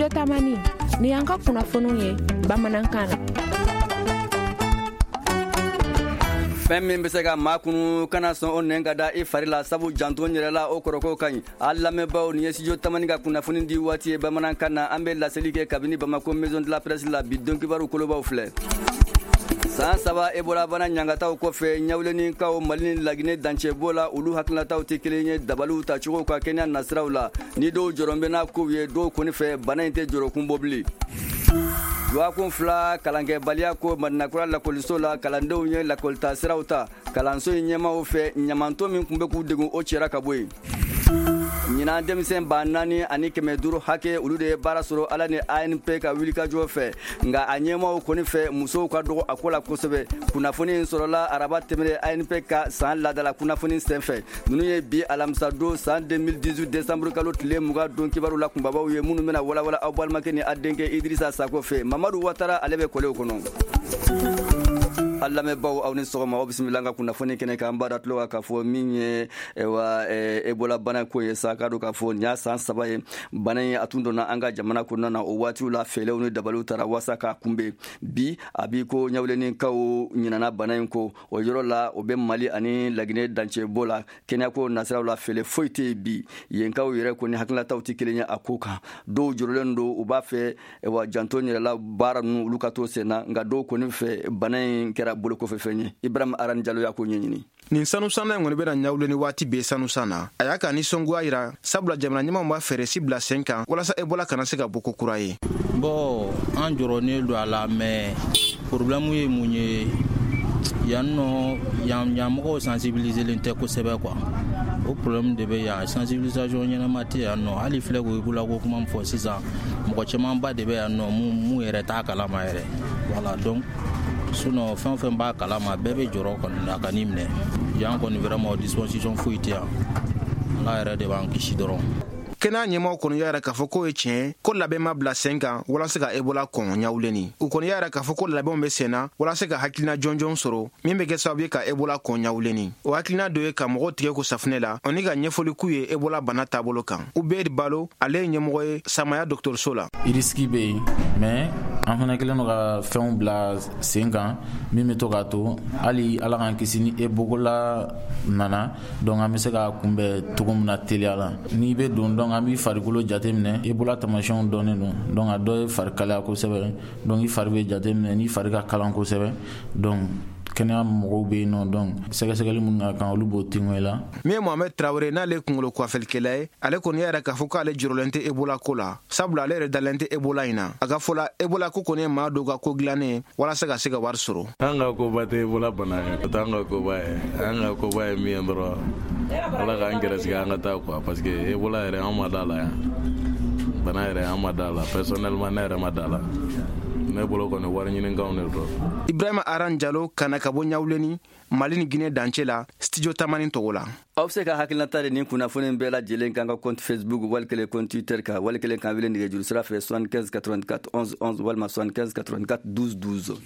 Studio Tamani, ni y'an ka kunnafoniw ye bamanankan na. Fɛn min bɛ se ka maa kunu, kana sɔn o nɛn ka da i fari la, sabu janto yɛrɛ la, o kɔrɔko ka ɲi. A lamɛnbaaw, nin ye Studio Tamani ka kunnafoni di waati ye bamanankan na. An bɛ laseli kɛ kabini Bamako Maison de la Presse la. Bi don kibaru kolobaw filɛ: san 3 Ebola bana ɲangataw kɔfɛ, Ɲawulenikaw Mali ni Laginɛ dancɛbɔ la, olu hakilinataw tɛ kelen ye dabaliw tacogo ka kɛnɛya nasiraw la. Ni dɔw jɔrɔ bɛ n'a kow ye, dɔw kɔni fɛ, bana in tɛ jɔrɔkun bɔ bilen. Dɔgɔkun 2 kalankɛbaliya ko Madinakura lakɔliso la, kalandenw ye lakɔlita siraw ta. Kalanso in ɲɛmaw fɛ, ɲamanton min tun bɛ k'u degun, o cɛra ka bɔ yen. Ɲinan, denmisɛn 4500 hakɛ, olu de ye baara sɔrɔ ala ni ANP ka wulikajɔ fɛ. Nka a ɲɛmaw kɔni fɛ, musow ka dɔgɔ a ko la kosɛbɛ. Kunnafoni in sɔrɔla araba tɛmɛnen ANP ka san ladala kunnafoni senfɛ. Ninnu ye bi alamisa don san 2018 décembre kalo tile 20 don kibaru la kunbabaw ye, minnu bɛna walawala aw balimakɛ ni a denkɛ Idrissa Sako fɛ. Mamadu Watara, ale bɛ kɔlɛw kɔnɔ. A lamɛnbaw, aw ni sɔgɔma, aw bisimila an ka kunnafoni kɛnɛ kan. An b'a da tulo kan k'a fɔ min ye wa Ebola bana ko ye sa, k'a dɔn k'a fɔ nin y'a san 3 ye bana in a tun donna an ka jamana kɔnɔna na. O waatiw la, fɛɛrɛw ni dabaliw tara waasa k'a kunbɛn. Bi a b'i ko Ɲawulenikaw ɲinana bana in ko o yɔrɔ la, o bɛ Mali ani Laginɛ dancɛbɔ la. Kɛnɛyako nasiraw la, fɛɛrɛ foyi tɛ yen bi. Yenkaw yɛrɛ kɔni hakilinataw tɛ kelen ye a ko kan. Dɔw jɔrɔlen don, u b'a fɛ wa janto yɛrɛla baara ninnu, olu ka to sen na. Nka dɔw kɔni fɛ, bana in kɛra bolokɔfɛfɛn ye. Ibrahim Arani Jalo y'a ko ɲɛɲini. Nin sanusanna in kɔni bɛna Ɲawule ni waati bɛɛ sanusan na. A y'a ka nisɔngoya yira, sabula jamana ɲɛmaw b'a fɛɛrɛ si bila sen kan walasa Ebola kana se ka bɔ ko kura ye. Bon, an jɔrɔnen don a la, mais problème ye mun ye yan nɔ? Yan yan mɔgɔw sensibiliselen tɛ kosɛbɛ quoi. O problème de bɛ yan. Sensibilisation ɲɛnama tɛ yan nɔ. Hali filɛ ko Ebola ko kuma min fɔ sisan, mɔgɔ camanba de bɛ yan nɔ mun yɛrɛ t'a kalama yɛrɛ. Voilà, donc sinon fɛn o fɛn b'a kalama, bɛɛ bɛ jɔrɔ kɔni a ka n'i minɛ. Yan kɔni, vraiment, disposition foyi tɛ yan. Ala yɛrɛ de b'an kisi dɔrɔn. Kɛnɛya ɲɛmaw kɔni y'a yira k'a fɔ k'o ye tiɲɛ ko labɛn ma bila sen kan walasa ka Ebola kɔn Ɲawuleni. U kɔni y'a yira k'a fɔ ko labɛnw bɛ sen na walasa ka hakilina jɔnjɔn sɔrɔ min bɛ kɛ sababu ye ka Ebola kɔn Ɲawuleni. O hakilina dɔ ye ka mɔgɔw tigɛ ko safunɛ la ani ka ɲɛfɔli k'u ye Ebola bana taabolo kan. Ubedi Balo, ale ye ɲɛmɔgɔ ye Samaya dɔgɔtɔrɔso la. Risque bɛ yen, mais an fana kɛlen don ka fɛnw bila sen kan min bɛ to k'a to, hali Ala k'an kisi, ni Ebola nana, donc an bɛ se k'a kunbɛn cogo min na teliya la. N'i bɛ don, donc an b'i farikolo jateminɛ. Ebola tamasiyɛnw dɔnnen don. Donc a dɔ ye fari kalaya kosɛbɛ. Donc i fari bɛ jateminɛ, n'i fari ka kalan kosɛbɛ, donc kɛnɛya mɔgɔw bɛ yen nɔ, donc sɛgɛsɛgɛli minnu ka kan, olu b'o tingo i la. Min ye Mohamed Traoré, n'ale ye kunkolo kuwafelikɛla ye, ale kɔni y'a yira k'a fɔ k'ale jɔrɔlen tɛ Ebola ko la, sabula ale yɛrɛ dalen tɛ Ebola in na. A ka fɔ la, Ebola ko kɔni ye maa dɔw ka ko dilannen ye walasa ka se ka wari sɔrɔ. An ka koba tɛ Ebola bana ye, o t'an ka koba ye. An ka koba ye min ye dɔrɔn, Ala k'an gɛrɛsɛgɛ an ka taa quoi, parce que Ebola yɛrɛ, an ma da la yan. Bana yɛrɛ, an ma da la. Personnellement, ne yɛrɛ ma da la. Ne bolo kɔni, wari ɲinikanw de don. Ibrahima Aran Jalo kana ka bɔ Ɲawuleni, Mali ni Guinée dancɛ la, Studio Tamani tɔgɔ la. Aw bɛ se ka hakilinata de nin kunnafoni bɛɛ lajɛlen kan ka compte Facebook, wali kelen compte Twitter kan, wali kelen kan wele nɛgɛjuru sira fɛ 75 84 11 11 walima 75 84 12 12.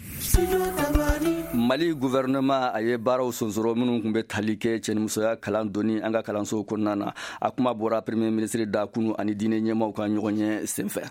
Mali gouvernement, a ye baaraw sonsoro minnu tun bɛ tali kɛ cɛnimusoya kalan donni an ka kalansow kɔnɔna na. A kuma bɔra premier ministre da kunu ani diinɛ ɲɛmaw ka ɲɔgɔn ye senfɛ.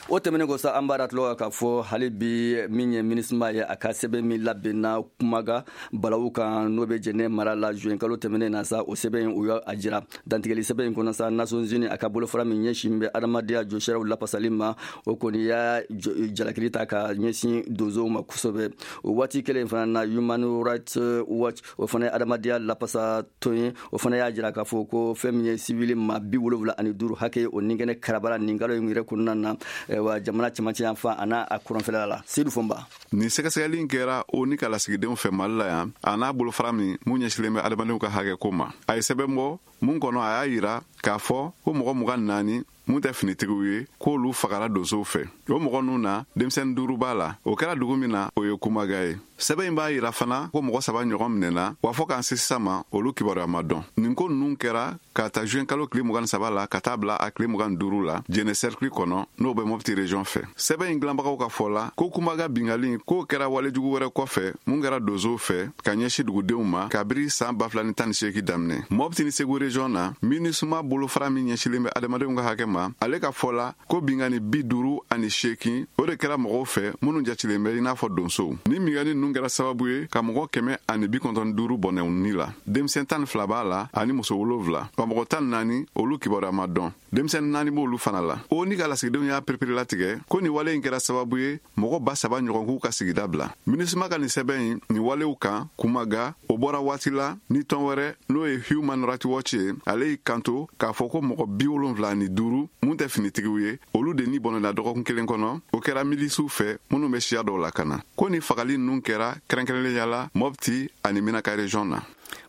O tɛmɛnen kɔ sa, an b'a tulon k'a fɔ hali bi, min ye MINUSMA ye, a ka sɛbɛn min labɛnna kumaga balawu kan, n'o bɛ Jɛnɛ mara la juin kalo tɛmɛnen na sa, o sɛbɛn in, u y'a jira dantigɛli sɛbɛn in kɔnɔ sa, Nations Unies a ka bolofara min ɲɛsin bɛ adamadenya jɔsiraw lafasali ma, o kɔni y'a jalakili ta ka ɲɛsin donsow ma kosɛbɛ. O waati kelen fana na, Human Rights Watch, o fana ye adamadenya lafasa tɔn ye, o fana y'a jira k'a fɔ ko fɛn min ye sivili maa 75 hakɛ, o nin kɛnɛ karabara nin kalo in yɛrɛ kɔnɔna na wa jamana cɛmancɛ yan fan a n'a a kɔrɔnfɛla la. Sedu Fɔnba. Nin sɛgɛsɛgɛli in kɛra o ni ka lasigidenw fɛ Mali la yan, a n'a bolofara min ɲɛsilen bɛ adamadenw ka hakɛ ko ma. A ye sɛbɛn bɔ mun kɔnɔ, a y'a yira k'a fɔ ko mɔgɔ 24 mun tɛ finitigiw ye, k'olu fagara donsow fɛ. O mɔgɔ ninnu na, denmisɛnnin duuru b'a la. O kɛra dugu min na, o ye Kumaga ye. Sɛbɛn in b'a yira fana ko mɔgɔ saba ɲɔgɔn minɛna wa, fɔɔ k'an se sisan ma, olu kibaruya ma dɔn. Nin ko ninnu kɛra k'a ta juin kalo tile 23 la ka taa bila a tile 25 la, Jɛnɛ cercle kɔnɔ, n'o bɛ Mɔpti région fɛ. Sɛbɛn in dilanbagaw ka fɔ la ko Kumaga bingali k'o kɛra walejugu wɛrɛ kɔfɛ mun kɛra donsow fɛ ka ɲɛsin dugudenw ma kabiri san 2018 daminɛ, Mɔpti ni Segu région. region na, MINUSMA bolofara min ɲɛsilen bɛ adamadenw ka hakɛ ma, ale ka fɔ la ko binkanni 58, o de kɛra mɔgɔw fɛ minnu jatilen bɛ i n'a fɔ donsow. Ni binkanni ninnu kɛra sababu ye ka mɔgɔ 195 bɔnɛ u ni la. Denmisɛn 12 b'a la ani muso 7, wa mɔgɔ 14, olu kibaruya ma dɔn. Denmisɛn 4 b'olu fana la. ONU ka lasigidenw y'a pereperelatigɛ ko nin wale in kɛra sababu ye mɔgɔ 3000 ɲɔgɔn k'u ka sigida bila. MINUSMA ka nin sɛbɛn in nin walew kan kumaga, o bɔra waati la ni tɔn wɛrɛ, n'o ye Human Rights Watch ye, ale y'i kanto k'a fɔ ko mɔgɔ 75 mun tɛ finitigiw ye, olu de ni bɔnɛna dɔgɔkun kelen kɔnɔ. O kɛra milisiw fɛ minnu bɛ siya dɔw lakana. Ko ni fagali ninnu kɛra kɛrɛnkɛrɛnnenya la Mopti ani Menaka région na.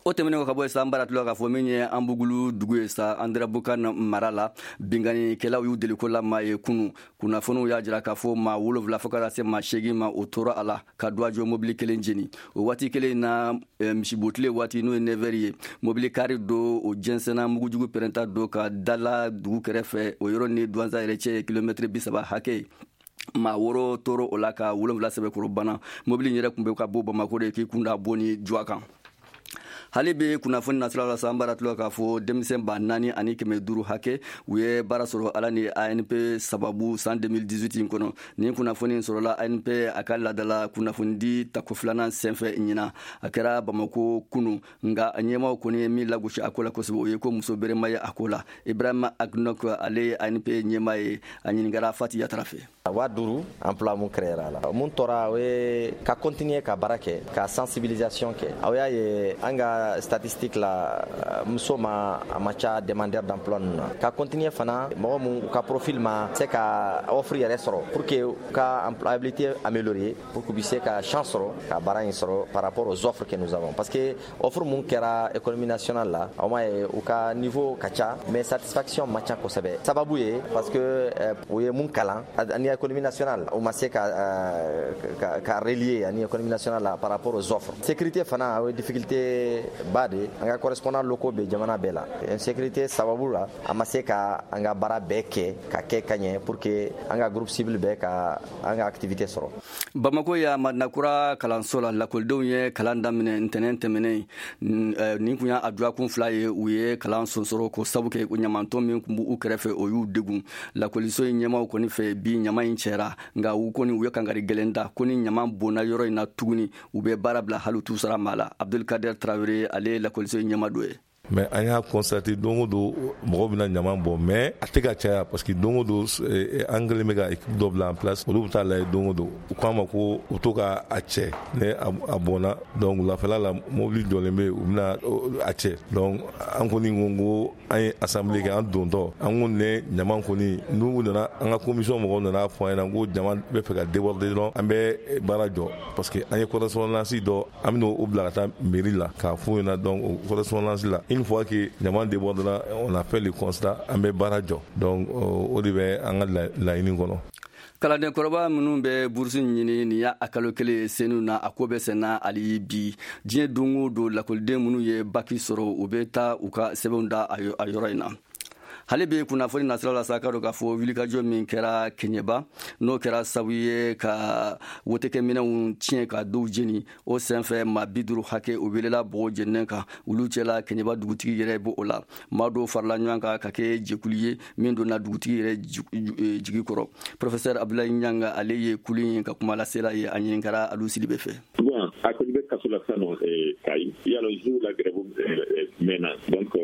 O tɛmɛnen kɔ ka bɔ yen sa, an bara tulɔ k'a fɔ min ye Anbugulu dugu ye sa, Anderamboukane mara la, binkannikɛlaw y'u deliko la maa ye kunu. Kunnafoniw y'a jira k'a fɔ maa 7 fo ka taa se maa 8 ma, o tora a la ka duwajɔ mobili kelen jeni. O waati kelen na, misibotile waati, n'o ye 9 ye, mobili kari do o jɛnsɛnna mugujugu pɛrɛnta do ka dala dugu kɛrɛfɛ. O yɔrɔ ni Douentza yɛrɛ cɛ ye kilomɛtiri 30 hakɛ ye. Maa 6 toro o la ka 7 sɛbɛkɔrɔ bana. Mobili in yɛrɛ tun bɛ ka bɔ Bamako de k'i kunda bɔ ni Duwa kan. Hali bi kunnafoni nasira la sa, an bara tulɔ k'a fɔ denmisɛn 4500 hakɛ, u ye baara sɔrɔ ala ni ANP sababu san 2018 in kɔnɔ. Nin kunnafoni sɔrɔla ANP a ka laadala kunnafonidi tako filanan senfɛ ɲinan. A kɛra Bamako kunu, nka ɲɛmaaw kɔni ye min lagosi a ko la kosɛbɛ, o ye ko muso berema ye a ko la. Ibrahima Agnok, ale ye ANP ɲɛmaa ye, a ɲininkara Fati Yatara fɛ. 5000 emploi mun créera la, mun tora, o ye ka continuer ka baara kɛ, ka sensibilisation kɛ. Aw y'a ye an ka statistique la, muso ma a ma ca demandeur d'emploi ninnu na. Ka continuer fana, mɔgɔ mun u ka profil ma se ka offre yɛrɛ sɔrɔ, pour que u ka employabilité améliorer, pour que u bɛ se ka chance sɔrɔ ka baara in sɔrɔ par rapport aux offres que nous avons, parce que offre mun kɛra économie nationale la, aw m'a ye u ka niveau ka ca, mais satisfaction ma ca kosɛbɛ. Sababu ye parce que u ye mun kalan ani économie nationale, o ma se ka relier ani économie nationale la par rapport aux offres. Sécurité fana, o ye difficulté ba de. An ka correspondant locaux bɛ jamana bɛɛ la. Insécurité sababu la, an ma se ka an ka baara bɛɛ kɛ ka kɛ ka ɲɛ pour que an ka groupe cible bɛɛ ka an ka activité sɔrɔ. Bamako ya Madinakura kalanso la, lakɔlidenw ye kalan daminɛ ntɛnɛn tɛmɛnen. Nin kun y'a dɔgɔkun 2 ye u ye kalan sonsoro, ko sabu kɛ ɲamantɔn min kun b'u kɛrɛfɛ, o y'u degun. Lakɔliso in ɲɛmaaw kɔni fɛ bi, ɲama in cɛra, nka u kɔni u ye kangari gɛlɛn da ko ni ɲama bonna yɔrɔ in na tuguni, u bɛ baara bila, hali u t'u sara maa la. Abdulkader Traoré, ale ye lakɔliso in ɲɛmaa dɔ ye. Mais an y'a constaté, don o don mɔgɔw bɛna ɲama bɔ, mais a tɛ ka caya, parce que don o don an kɛlen bɛ ka équipe dɔ bila en place, olu bɛ taa lajɛ don o don. U k'an ma ko u to ka a cɛ ne a bɔnna. Donc wulafɛla la, mobili jɔlen bɛ yen, u bɛna a cɛ. Donc an kɔni ko an ye assemblée kɛ, an dontɔ an ko ne ɲama kɔni, n'u nana, an ka commission mɔgɔw nana fɔ an ɲɛna ko jama bɛ fɛ ka déborder dɔrɔn, an bɛ baara jɔ, parce que an ye correspondance dɔ, an bɛna o bila ka taa mairie la k'a f'u ɲɛna. Donc o correspondance la, une fois que ɲama débordera, on a fait le constat, an bɛ baara jɔ. Donc o de bɛ an ka laɲini kɔnɔ. Kalanden kɔrɔba minnu bɛ burusi ɲini, nin y'a kalo kelen senu na, a ko bɛ senna hali bi. Diɲɛ don o don, lakɔliden minnu ye baki sɔrɔ, u bɛ taa u ka sɛbɛnw da a yɔrɔ in na. Hali bi kunnafoni nasira la sa, ka dɔn k'a fɔ wulikajɔ min kɛra Keɲeba, n'o kɛra sabu ye ka wotekɛminɛnw tiɲɛ, ka dɔw jeni, o senfɛ maa 50 hakɛ, o welela bɔgɔ jeninen kan. Olu cɛla, Keɲeba dugutigi yɛrɛ b'o la. Maa dɔw farala ɲɔgɔn kan ka kɛ jɛkulu ye min donna dugutigi yɛrɛ jigi kɔrɔ. Professeur Abdoulaye Niang, ale ye kulu in ka kuma lasela ye, a ɲininkara Alu Sidibe fɛ. Bon, a kɔni bɛ kaso la sisan nɔ Kayi. Yala juge la grève mɛnna, donc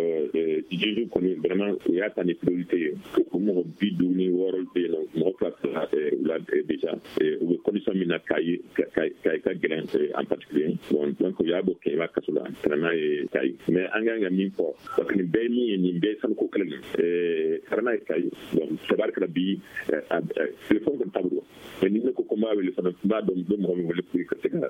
juge kɔni vraiment u y'a ta ni priorité ye. O mɔgɔ 56 bɛ yen nɔ, mɔgɔ 2 fila la déjà, u bɛ condition min na Kayi, Kayi ka gɛlɛn en particulier. Bon, donc u y'a bɔ Kɛɲɛba kaso la ka na n'a ye Kayi. Mais an kan ka min fɔ, parce que nin bɛɛ ye min ye, nin bɛɛ ye sanuko kɛlɛ de ye, ka na n'a ye Kayi. Bon, tabarikala bi, téléphone kɔni t'a bolo, mais ni ne ko ko n b'a wele fana, n b'a dɔn n bɛ mɔgɔ min wele pour ka se ka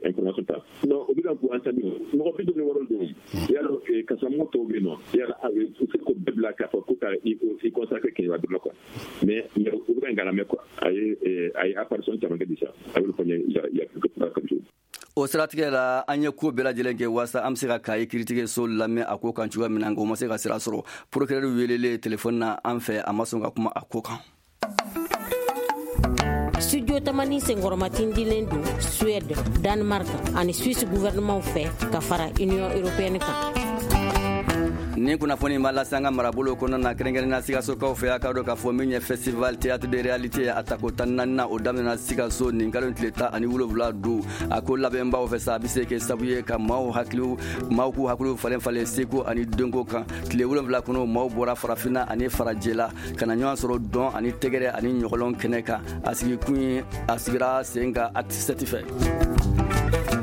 information ta. Non, o bɛ ka ko entendu, mɔgɔ 56 don. Yala kasolamɔgɔ tɔw bɛ yen nɔ, yala u se k'o bɛɛ bila k'a fɔ ko ka i consacrer Kɛɲɛba dɔrɔn quoi. Mais u bɛ ka nkalon mɛn quoi. A ye apparition caman kɛ déjà, a y'olu fɔ n ye il y a quelques jours. O siratigɛ la, an ye ko bɛɛ lajɛlen kɛ waasa an bɛ se ka Kayi kiiritigɛso lamɛn a ko kan cogoya min na, nka o ma se ka sira sɔrɔ. Procureur welelen telefɔni na an fɛ, a ma sɔn ka kuma a ko kan. Studio Tamani senkɔrɔmatindilen don Suède, Danemark ani Suisse gouvernement fɛ ka fara Union européenne kan. Ni kunnafoni ma lase an ka marabolo kɔnɔna na, kɛrɛnkɛrɛnnenya Sikasokaw fɛ, a k'a dɔn k'a fɔ min ye festival théâtre de réalité, a tako 14nan, o daminɛna Sikaso nin kalo tile 17 don. A ko labɛnbaw fɛ sa, a bɛ se kɛ sababu ye ka maaw hakiliw, maaw k'u hakiliw falen falen seko ani dɔnko kan. Tile 7 kɔnɔ, maaw bɔra farafinna ani farajɛla ka na ɲɔgɔn sɔrɔ dɔn ani tɛgɛrɛ ani ɲɔgɔlɔn kɛnɛ kan. A sigikun ye, a sigira sen kan Acte 7 fɛ.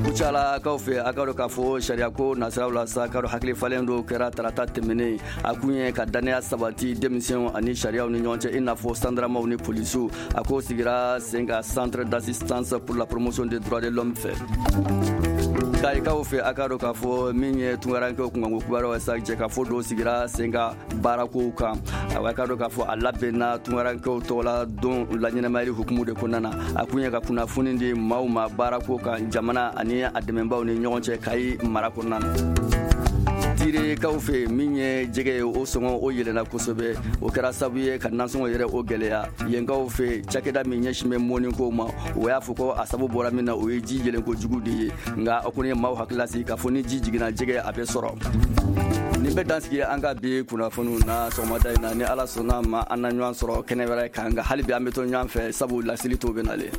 Kucalakaw fɛ, a k'a dɔn k'a fɔ sariyako nasiraw la sa, k'a dɔn hakili falen dɔw kɛra tarata tɛmɛnen. A kun ye ka dannaya sabati denmisɛnw ani sariyaw ni ɲɔgɔn cɛ, i n'a fɔ sandaramaw ni polisiw. A ko sigira sen kan Centre d'assistance pour la promotion des droits de l'homme fɛ. Kayikaw fɛ, a k'a dɔn k'a fɔ min ye tunkarankew kunkanko kibaruyaw ye sa, jɛkafɔ dɔw sigira sen kan baarakow kan. A k'a dɔn k'a fɔ a labɛnna tunkarankew tɔgɔla don laɲɛnamayali hukumu de kɔnɔna na. A kun ye ka kunnafoni di maaw ma baarako kan jamana ani a dɛmɛbaw ni ɲɔgɔn cɛ Kayi mara kɔnɔna na. Tirekaw fɛ, min ye jɛgɛ ye, o sɔngɔ o yɛlɛnna kosɛbɛ. O kɛra sababu ye ka nasɔngɔ yɛrɛ o gɛlɛya yenkaw fɛ. Cakɛda min ɲɛsin bɛ mɔniko ma, o y'a fɔ ko a sababu bɔra min na, o ye ji yɛlɛnko jugu de ye. Nka o kɔni ye maaw hakili lasigi k'a fɔ ni ji jiginna, jɛgɛ a bɛ sɔrɔ. Nin bɛ dansigi an ka bi kunnafoniw na sɔgɔmada in na. Ni Ala sɔnna ma, an na ɲɔgɔn sɔrɔ kɛnɛ wɛrɛ kan. Nka hali bi an bɛ to ɲɔgɔn fɛ, sabu laseli tɔw bɛ nalen.